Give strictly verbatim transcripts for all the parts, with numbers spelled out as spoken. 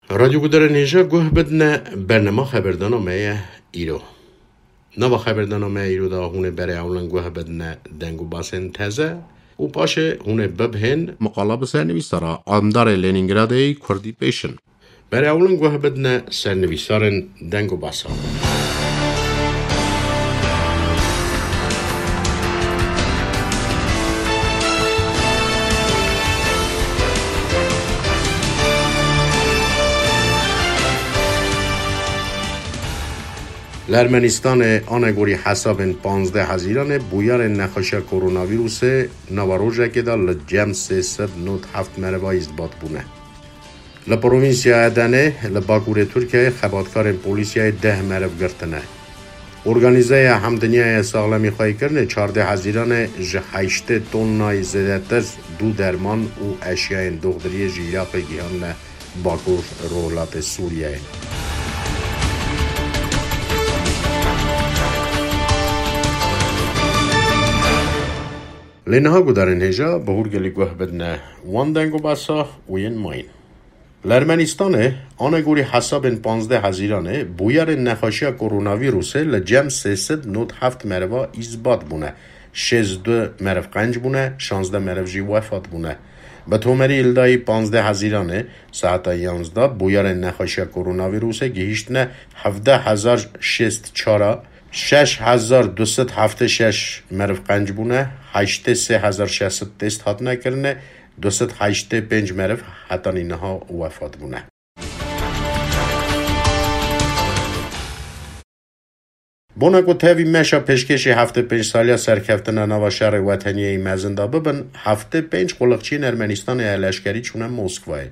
Radyo gudarên hêja guh bidine bernema xeberdana me ye îro. Nava xeberdana me îro de hûn ê berê ewlin guh bidine deng û basên teze û paşê hûn ê bibhên muqala bi sernivîsara Andarê Lenîngradê yê Kurdî pêşin. Berê ewlin guh bidine sernivîsarên deng û basa. Li Ermenîstanê anegorî hesabên panzdeh Hezîranê bûyerên nexweşiya koronavîrusê nava rojekê de li cem sê sed nod heft merivayî îsbat bûne. Li provînsya Edenê li bakurê Tirkiyeyê xebatkarên polîsiyayê deh meriv girtine. Organîzeya Hemdinyaya Saxlemîxweyîkirinê çardeh Hezîranê ji heştê tonnayî zêdetir dû derman û eşyayên doxdiriyê ji Iraqê gihandine bakur rojhilatê Sûriyeyê. Lê niha gudarên hêja bi hûrgelî guh bidine wan deng û besa û yên mayîn. Li Ermenîstanê, anegorî hesabên panzdeh Hezîranê, bûyerên nexweşiya koronavîrusê li cem sê sed nod heft meriva îsbat bûne, şêst du meriv qenc bûne, şazdeh meriv jî wefat bûne. Bi tomerî li dayî panzdeh Hezîranê, saeta yanzdeh, bûyerên nexweşiya koronavîrusê gihîştine hevdeh hezar şêst çar a, şeş hezar du sed heftê şeş meriv qenc bûne, heştê sê hezar şeş sed test hatine kirine, du sed heştê pênc meriv hetanî niha wefat bûne. Bona ku tevî meşa pêşkêşî heftê pênc saliya serkeftina nava şerê weteniyê yî mezin de bibin, heftê pênc quliqçiyên Ermenistanê ya leşkerî çûne Moskwayê.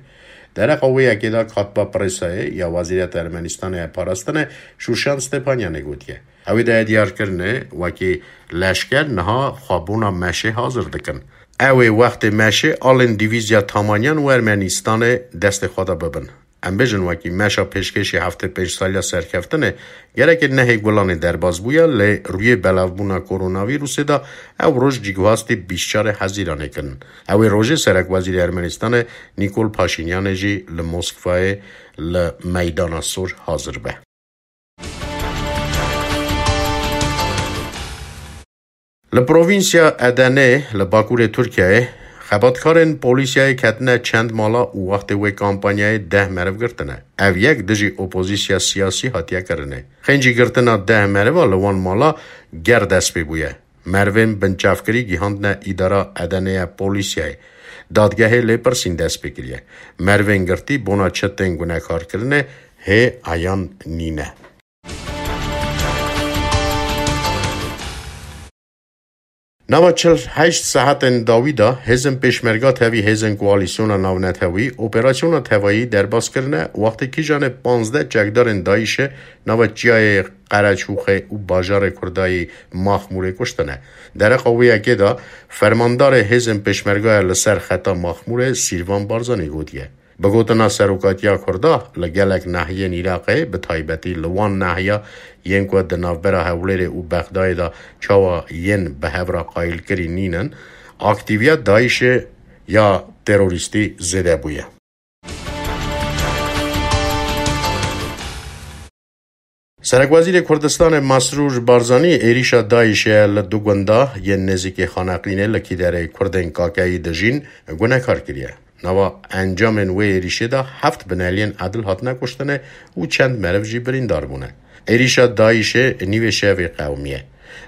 Dereqa wê yekê de Katba Presayê ya Wezîreta Ermenistanê ya Parastinê Şûşan Stepanyanê gotiye. Ew ê daye diyarkirinê wekî leşker niha xwebûna meşê hazir dikin. Ew ê wextê meşê alên dîvîzya Tamanyan û Ermenistanê destê xwe de bibin. Em bêjin wekî meşa pêşkêşî heftê pênc saliya serkeftinê, gereke nehê Gulanê derbas bûya, lê rûyê belavbûna koronavîrusê de ew roj cîguhastî bîst çarê Hezîranê kirin. Ew ê rojê serekwezîrê Ermenistanê Nîkol Paşînyanê jî li Moskwayê li Meydana Sor hazir be. Li provînsya Edenê li bakurê Tirkiyeyê xebatkarên polîsiyayê ketine çend mala û wextê wê kampanyayê deh meriv girtine. Ev yek dijî opozîsya siyasî hatiye kirinê. Xêncî girtina deh meriva li wan mala ger dest pê bûye. Merivên binçavkirî gihandine îdara Edenê ya polîsiyayê. Dadgehê lêpirsîn dest pê kiriye. Merivên girtî bona çi tên gunekarkirinê hê eyan nîne. Nava çil heşt saetên dawî de hêzên pêşmerga tevî hêzên koalîsyona navnetewî operasyona tevayî derbas kirine, wextê kîjanê panzdeh çekdarên DAIŞê nava çiyayê Qereçûxê û bajarê Kurdayî Maxmûrê kuştine. Dereqa wê yekê de fermandarê hêzên pêşmergaya li ser xeta Maxmûrê Sîrvan Barzanî gotiye. Bi gotina serokatiya Kurda, li gelek nahiyên Iraqê, bi taybetî li wan nahiya yên ku di navbera Hewlêrê û Bexdayê de çawa yên bi hev re qayîlkirî nînin, aktîviya DAIŞê ya terorîstî zêde bûye. Serekwezîrê Kurdistanê Mesrûr Barzanî êrîşa DAIŞê li du gunda yên nêzîkî Xaneqînê li kîderê Kurdên Kakeyî dijîn gunekar kiriye. Nava encamên wê êrîşê de heft bineliyên edil hatine kuştinê û çend meriv jî birîndar bûne. Êrîşa DAIŞê nîvê şevê qewimiye.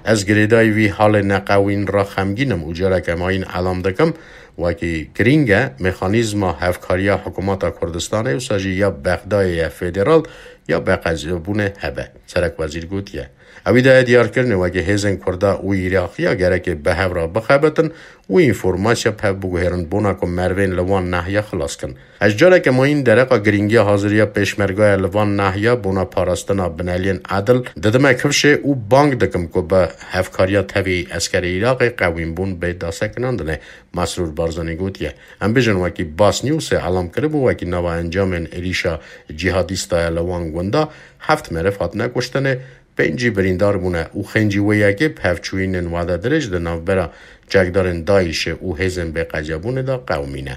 Ez girêdayî vî halê neqewîn re xemgîn im û careke mayîn elam dikim, wekî girîng e mexanîzma hevkariya Hikûmeta Kurdistanê, wisa jî ya Bexdayê ye federal ya beqezebûnê hebe, serekwezîr gotiye. Ewî daye diyarkirinê wekî hêzên Kurda û Îraqiya gerekê bi hev re bixebitin û înformasiya bi hev biguhêrin bona ku merivên li wan nahiya xilas kin. Ez careke mayîn dereqa girîngiya haziriya pêşmergaya li van nahiya bona parastina bineliyên edil didime kifşê û bang dikim ku bi hevkariya tevî eskerê Iraqê qewînbûn bê dasekinandinê, Mesrûr Barzanî gotiye. Em bêjin wekî Bas Newsê elam kiribû, wekî nava encamên êrîşa cîhadîsta ya li wan gunda heft meriv hatine kuştinê, pêncî birîndar bûne û xêncî wê yekê bi hevçûyînên wade dirêj di navbera çekdarên DAIŞê û hêzên bêqecebûnê de qewimîne.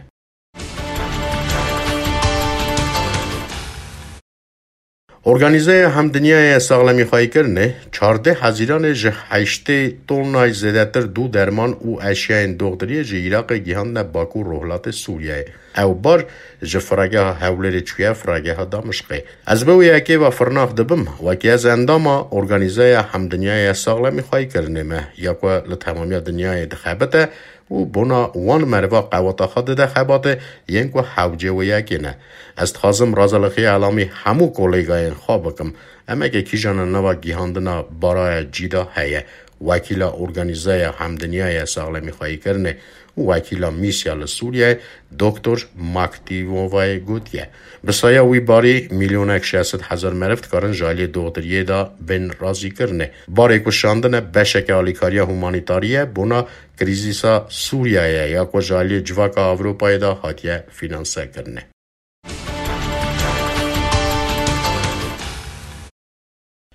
Organîzeya Hemdinyayê Saxlemîxwayîkirinê çardeh hezîranê ji heştê tonay zêdetir dû derman û eşyayên doxtiriyê ji Iraqê gihandine Baku rojhilatê Sûriyeyê. Ew bar ji firageha Hewlêrê çûye firageha Damişqê. Ez bi wê yekê ve firnax dibim, wekî ez endama Organîzeya Hemdinyayê Saxlemîxwayîkirinê me, ya ku li temamiya dinyayê dixebite, û bona wan meriva qeweta xwe dide xebatê yên ku hewcê wê yekê ne. Ez dixwazim razalixiya elamî hemû kolêgayên xwe bikim. Emeke kîjan li nava gihandina baraya cî de heye. Wekîla Organîzeya Hemdinyayê Saxlemîxwayîkirinê û wekîla Mîsya li Sûriyeyê Doktor Maktimovayê gotiye, bi saya wî barî milyonek şeş sed hezar meriv dikarin ji aliyê doxtiriyê de bên razîkirinê. Barê ku şandine beşeke alîkariya humanîtarî ye bona krîzîsa Sûriyeyê ya ku ji aliyê civaka Ewropayê de hatiye fînansekirinê.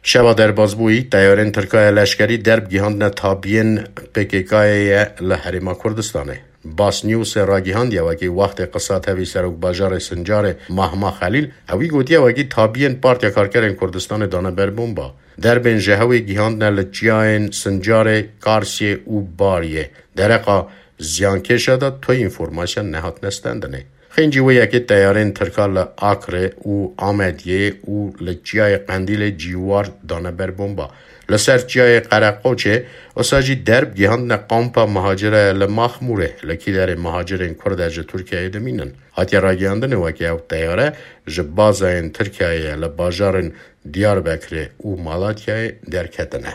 Şeva derbazbûyî, teyarên Tirkaya leşkerî derb gihandine tabiyên P K K'yê ye li Herêma Kurdistanê. Bas Newsê ragihandiye wekî wextê qisa tevî serokbajarê Sincarê Mahma Xelîl, ewî gotiye wekî tabiyên Partiya Karkerên Kurdistanê dane ber bomba. Derbên ji hewê gihandine li çiyayên Sincarê, Karsiyê û Bariyê. Dereqa ziyankêşa de tu înformasya nehatine stendinê. Xêncî wê yekê teyarên Tirka li Akrê û Amediyê û li çiyayê Qendîlê cîwar dane ber bomba. Li ser çiyayê Qereqoçê, wisa jî derb gihandine kampa muhacirê li Maxmûrê, li kîderê muhacirên Kurd e ji Tirkiyeyê dimînin. Hatiye ragihandinê wekî ew teyare ji bazayên Tirkiyeyê li bajarên Diyarbekirê û Malatyayê derketine.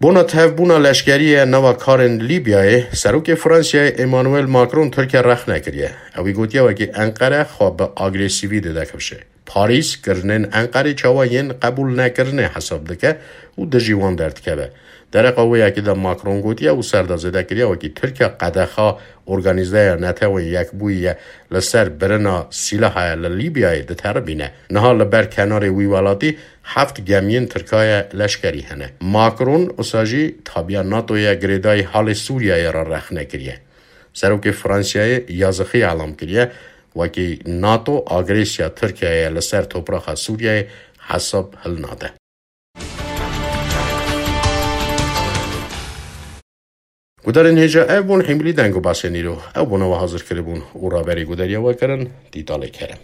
Bona tevbûna leşkerî ye nava karên Lîbyayê, Serokê Fransiyayê Emmanuel Macron Tirkiye rexne kiriye. Ewî gotiye wekî Enqere xwe bi agresîvî dide kifşê. Parîs kirinên Enqerê çawa yên qebûl nekirinê hesab dike û dijî wan derdikeve. Dereqa wê yekê de Macron gotiye û ser de zêde kiriye wekî Tirkiye qedexa Organîzeya Netewên Yekbûyî ye li ser birina sîlaha ye li Lîbyayê diteribîne. Niha li ber kenarê wî welatî heft gemiyên Tirkaye leşkerî hene. Macron wisa jî tabiya NATOyê girêdayî halê Sûriyeyê re rexne kiriye. Serokê Fransiyayê yazixî elam kiriye, wekî NATO agresiya Tirkiyeyê li ser topraxa Sûriyeyê hesab hilnade. Gudarên hêja ev bûn hîmilî deng û basên îro. Ew bona we hazir kiribûn û raberî gudariya we kirin Dîtalê Kerem.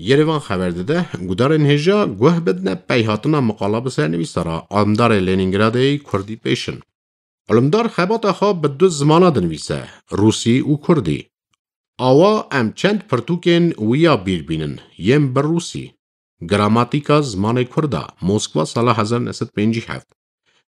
Yerevan xeber dide, gudarên hêja guh bidine peyhatina miqala bi sernivîsara Alimdarê Lenîngradê yê Kurdî pêşin. Alimdar xebata xwe bi du zimana dinivîse, Rûsî û Kurdî. Awa em çend pirtûkên wî ya bîr bînin, yên bi Rûsî. Gramatîka zimanê Kurda, Moskva, sala hezar neh sed pêncî heft.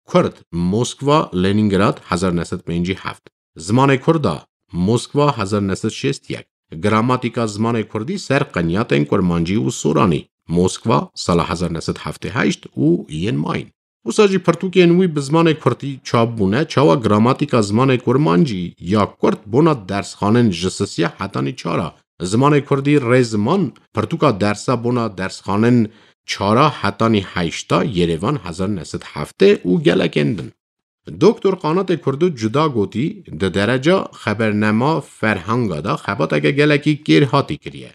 Kurd, Moskva, Lenîngrad, hezar neh sed pêncî heft. Zimanê Kurda, Moskva, hezar neh sed şêst yek. Gramatîka zimanê Kurdî ser qenyatên Kurmancî û Soranî, Moskva, sala hezar neh sed heftê heşt û yên mayîn. Wisa jî pirtûkên wî bi zimanê Kurdî çap bûne, çawa gramatîka zimanê Kurmancî ya Kurd bona dersxanên ji sisiya hetanî çara. Zimanê Kurdî rêziman, pirtûka dersa bona dersxanên çara hetanî heşta, Yerevan, hezar neh sed heftê û gelekên din. Doktor Qanatê Kurdo cuda gotî, di dereca xebernema ferhenga de xebateke gelekî kêrhatî kiriye.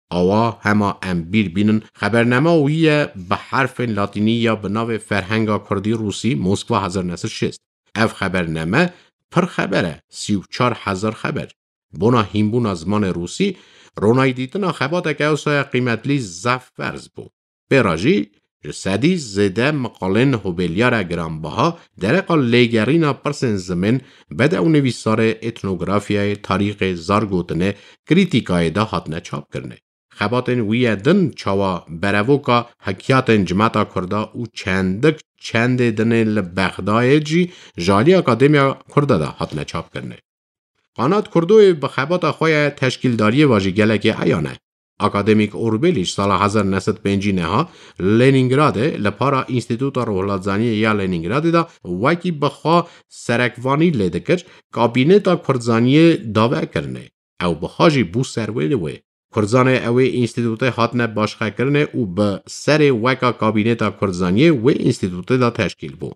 Awa hema em bîr bînin, xebernema wî ye bi herfên latînî ya bi navê Ferhenga Kurdî Rûsî, Moskva, hezar neh sed şêst. Ev xeberneme pir xeber e, sî û çar hezar xeber. Bona hînbûna zimanê rûsî, ronayî dîtina xebateke ewsaya qîmetlî zaf ferz bû. Pê re jî ji sedî zêde miqalên hobêlyara giranbiha dereqa lêgerîna pirsên zimên, bedewnivîsarê, etnografyayê, tarîxê, zargotinê, krîtîkayê de hatine çapkirinê. Xebatên wî yê din çawa berevoka hekiyatên cimeta Kurda û çendik çendê dinê li Bexdayê jî ji alî Akademiya Kurda de hatine çapkirinê. Qanat Kurdoyê bi xebata xwe ya teşkîldariyê ve jî gelekî eyan e. Akademîk Orbelî ji sala hezar neh sed pêncî neha Lenîngradê li para Înstîtuta Rohlatzaniyê ya Lenîngradê de wekî bi xwe serekvanî lê dikir, kabîneta Kurdzaniyê dave kirine. Ew bi xwe jî bû serwêrê wê. Kurdzanê ew ê înstîtûtê hatine başqekirinê û bi serê weka kabîneta Kurdzaniyê wê înstîtûtê de teşkîl bû.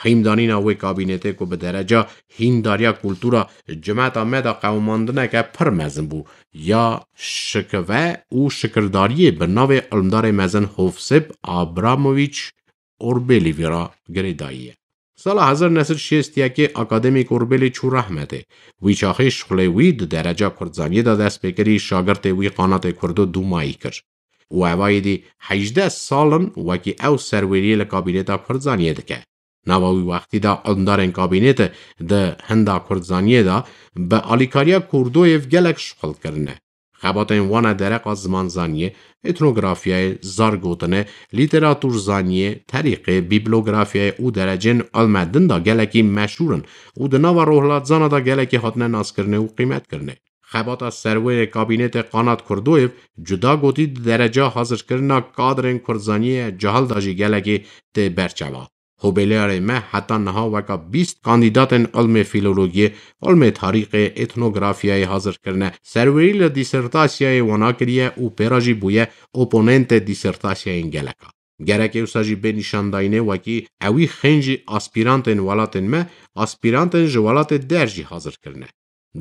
Hîndanîna wê kabînetê ku bi dereca hîndariya kultura cimeta me de qewimandineke pir mezin bû, ya şikive û şikirdariyê bi navê Ilmdarê Mezin Hovsêp Abramovîç Orbelî vî re girêdayî ye. Sala hezar neh sed şêst yekê akademîk Orbelî çû rehmetê. Wî çaxê şixulê wî di dereca Kurdzaniyê de dest pê kirî, şagirtê wî Qanatê Kurdo dûmayî kir. Û evayî dî hejdeh sal in wekî ew serwêriyê li kabîneta Kurdzaniyê dike. Nava wî wextî de ilmdarên kabînetê di hinda Kurdzaniyê de bi alîkariya Kurdoyê gelek şixul kirine. Xebatên wan e dereqa zimanzaniyê, etnografyayê, zargotinê, lîteraturzaniyê, terîqê, bîblografyayê û derecên ilme din de gelekî meşhûr in û di nava rohlatzana de gelekî hatine naskirinê û qîmetkirinê. Xebata serwêrê kabînetê Qanat Kurdoyev cuda gotî di dereca hazirkirina kadrên Kurdzaniyê cahil de jî gelekî tê berçava. Hobeliyarê me heta niha weka bîst kandîdatên ilmê fîlologiyê, ilmê tarîxê, etnografyayê hazir kirine, serwerî li dîsertasyayê wana kiriye û pê re jî bûye oponentê dîsertasyayên geleka. Gerek ê wisa jî bê nîşandayînê wekî ewî xêncî aspîrantên welatên me, aspîrantên ji welatê der jî hazir kirine.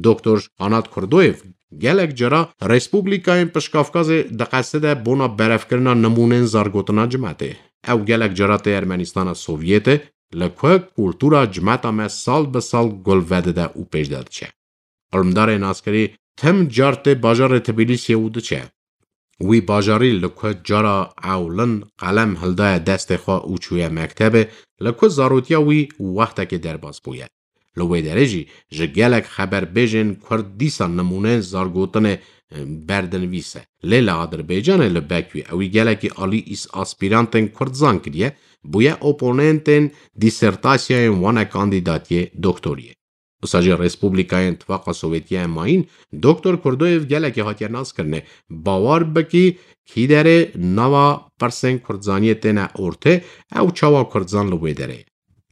Doktor Anat Kurdoyev gelek cara Respublikayên Pişkafkazê diqeside bona berevkirina nimûnên zargotina cimetê. Ew gelek cara tê Ermenîstana Sovyetê, li ku kultura cimeta me sal bi sal gul vedide û pêş de diçe. Ilmdarê naskirî tim car tê bajarê Tbilîsiyê û diçe. Wî bajarî li ku cara ewlin qelem hildaye destê xwe û çûye mektebê, li ku zarotiya wî wextekê derbas bûye. Li wê derê jî ji gelek xeberbêjên Kurd dîsa nimûneyên zargotinê, e, berdinivîs e. Lê li Adirbaycanê li Bekwî ewî gelekî alî îs-, aspîrantên Kurd zan kiriye, bûye oponentên dîsertasyayên wan e kandîdatiyê doktoriyê. Wisa jî Respublikayên Tifaqa Sowêtiye mayîn, Doktor Kurdoyev gelekî hatiye naskirinê. Bawer bikî, kî derê nava pirsên Kurdzaniyê têne ortê, ew çawa Kurdzan li wê derê.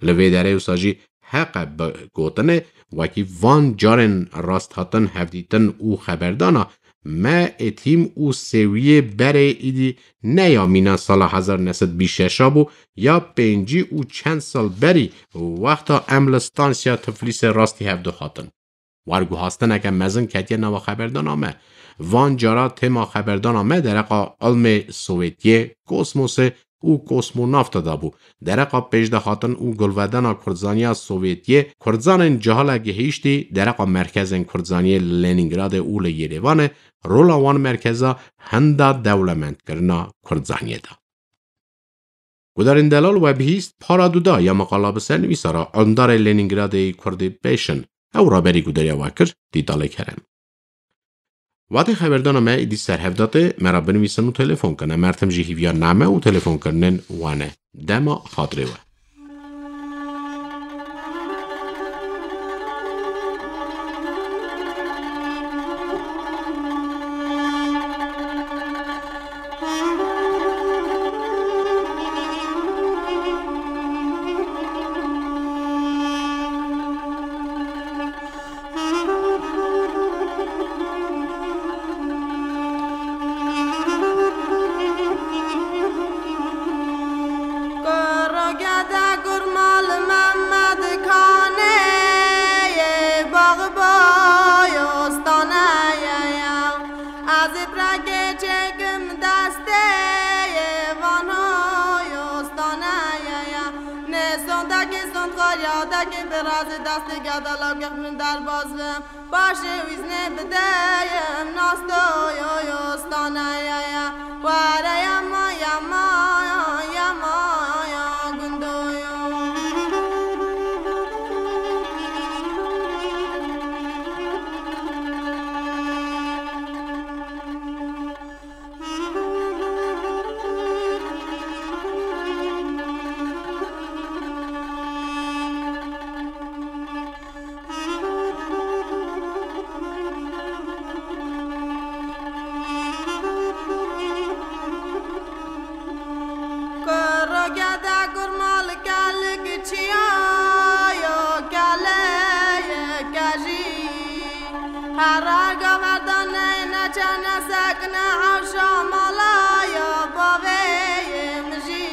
Li vê derê wisa jî heq e bi gotinê, wekî van carên rasthatin, hevdîtin û xeberdana me êtîm û sêwiyê berê îdî ne ya mîna sala hezar neh sed bîst şeş a bû, ya pêncî û çend sal berî, wexta em li stansiya Tiflîsê rastî hev dihatin. Werguhastineke mezin ketiye nava xeberdana me. Van cara tema xeberdana me dereqa ilmê Sowêtiyê, kosmosê, û kosmonavta de bû. Dereqa pêşdahatin û gulvedana Kurdzaniya Sovyetiyê, Kurdzanên cihale gihîştî dereqa merkezên Kurdzaniyê li Lenîngradê û li Yêrêvanê, rola wan merkeza hinda dewlemendkirina Kurdzaniyê da. Gudarên delal we bihîst, para duda ya maqala bi ser nivîsara Undarê Lenîngradê Kurdî Pêşin. Ew raberî gudariya we kir, Dîtalê Kerem. Watê xeberdana me êdî ser hev de tê, me re binivîsin û telefon kin. Em her tim jî hîviya name û telefonkirinên we ne. Dema xatirê we. Kurogede kurmal Mehmed Kanê, bax boy ostane ye ya. Ez ê pireke çêkim destê, vano ostane ye ya. Ne sondekê sond xaryadekê bi razê destê gedala gexmin derbaz bim. Paşê wîznê bideyim, nasto yo yo stane ye ye. Were yama, yama, yama, ya gundo yo. Kurogede kurmal kelik çiya yo keleye kejî. Hera gaverdanê neçe nesekne hewşa mala ya bavê ye mijî.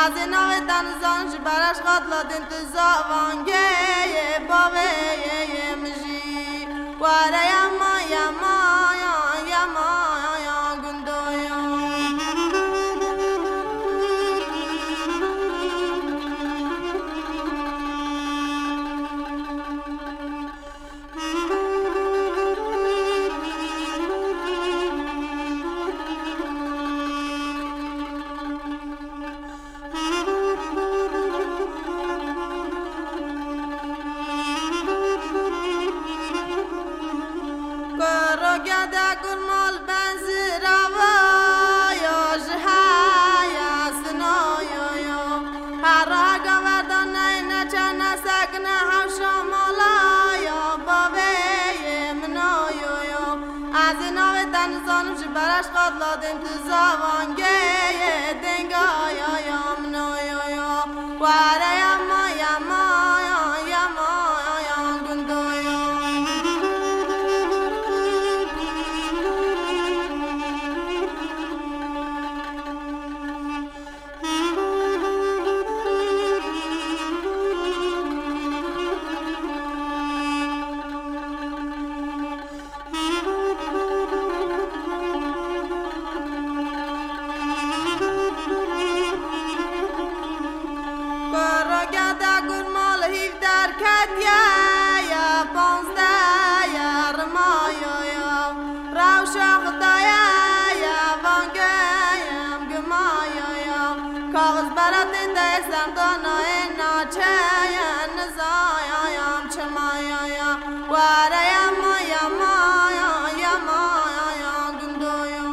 Ez ê navê te nizan ji bereş xatla din tu zavangê ye bavê ye ye mijî. Were yama, yama, ya, yama, ya, gundo ya. Kurogede kurmal benzirava ya ji heye sinoyo yo. Hera gaverdanê neçe nesekne hewşa mala ya bavê ye minoyo yo. Ez ê navê te nizanim ji bereş xatla din tu zavangê ye denga ya ya minoyo yo. Were yama, yama, ya, yama, ya, ya, gundo ya. Kurogede kurmal hîv derketiye ye, panzdeh ye, rimayo yo. Rewşa Xwedayê ye, vangeyim gimayo yo. Kaxiz beratê te sendana ê naçeye, nizayayam çimayo yo. Were yama, yama, ya, yama, ya, ya, gundo yo.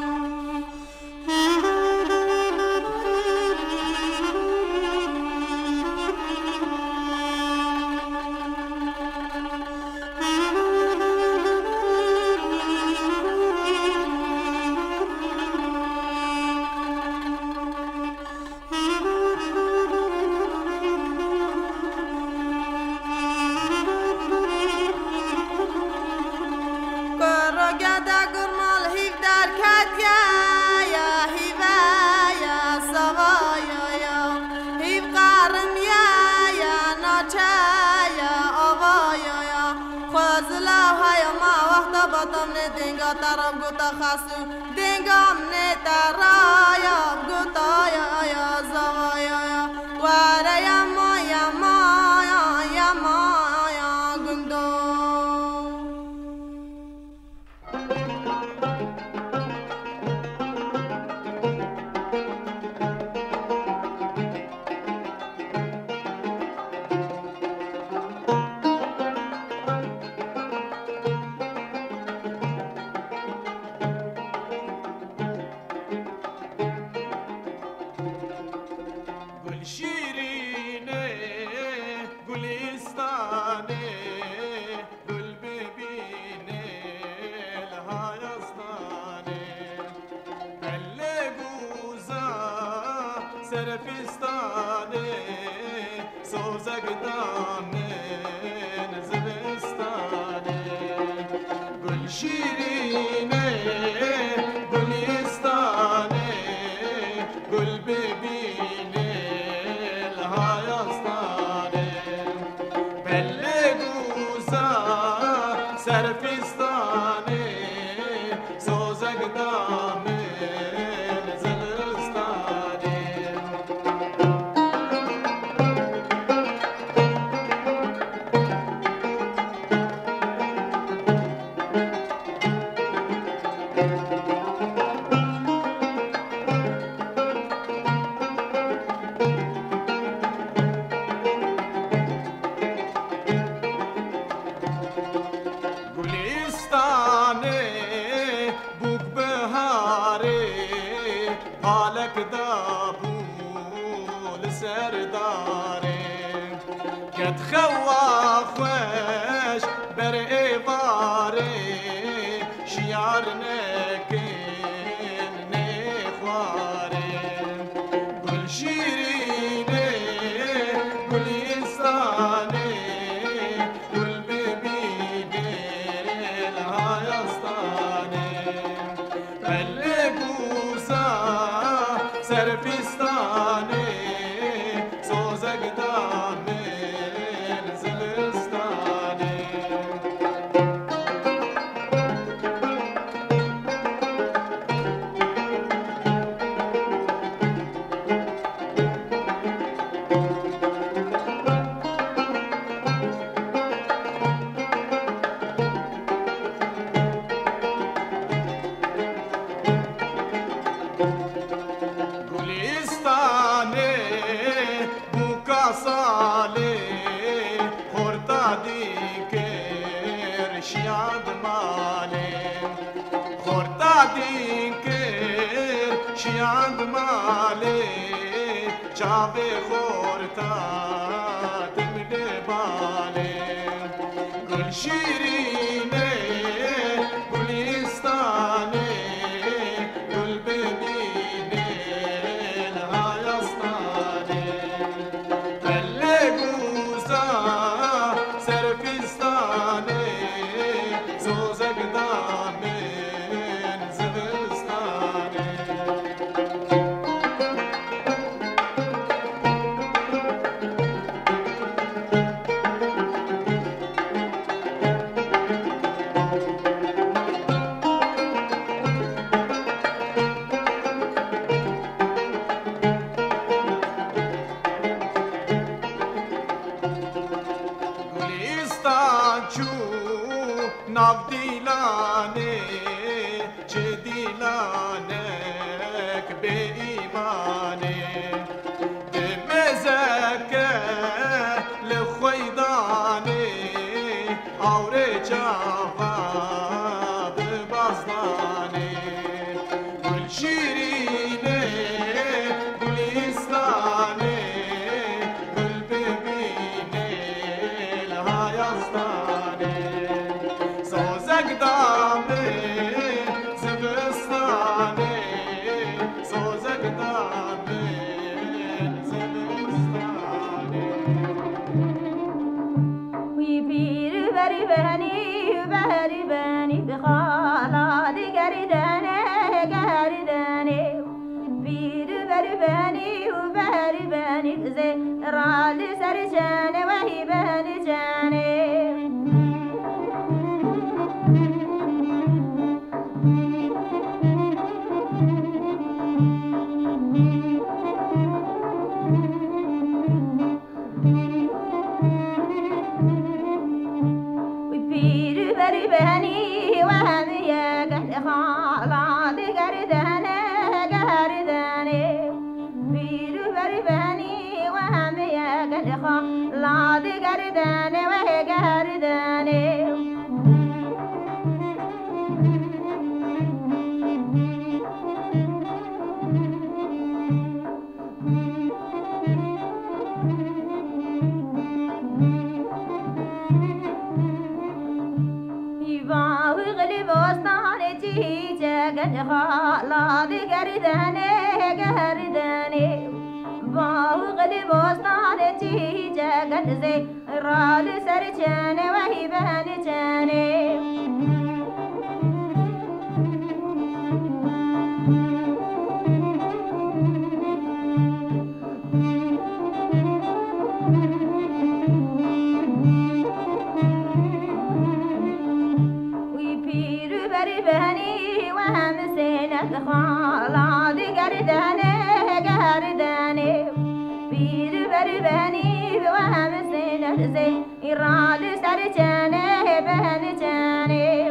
Tam ne denga taraf gota xasu, denga ne taraya gota ya ya zavaya ya. Ware ya ma ya ma ya ya ma ya gundo. Gul şîrînê, gulîstanê, gul bibînê li hayastanê. Pellê guza serfistanê, sozek da min zivistanê. Gul şîrînê, gulîstanê, gul bibînê li hayastanê. Pellê guza serfistanê, sozek da min zivistanê. Gulîstanê bûk biharê, palek dabû li ser darê. Ket xewa xweş ber êvarê, şiyar nekin nêxwarê. Gul şîrînê, gulîstanê, gul bibînê li hayastanê. Pellê guza serfistanê, sozek da min zivistanê. Gulîstanê bûka salê, xorta dîkir şiyad malê. Xorta dîkir şiyad malê, çavê xorta tim li balê. Gul şîrînê, gulîstanê, gul bibînê li hayastanê. Pellê guza serfistanê, sozek da min zivistanê. Gulîstan çû nav dîlanê, çi dîlanek bêîmanê. Di mêzeke li xweydanê, awrê çaxa bi bazdanê. Gul şîrînê, gulîstanê, gul bibînê li hayastanê. Sozek da min zivistanê, sozek da min zivistanê. Wî pîr berî benî, berî benî, bi xala digerî denê, gerî denê. Pîr berî benî û berî benî, zêra li ser çenê, wehî benî çenê. Benî we hemiye gel xala digerdene gerdene. Pîr û ber benî we hemiye gel xala digerdene we gerdene. Bağlı bostanê çîçek xala digerdene gerdene. Bağlı bostanê çîçek zê. Rali ser çene wey ben çene. Wî pîr û ber benî we hem sênet xala digerdene gerdene. Pîr û ber benî we hem sênet zê. Îra li ser çene ben çene.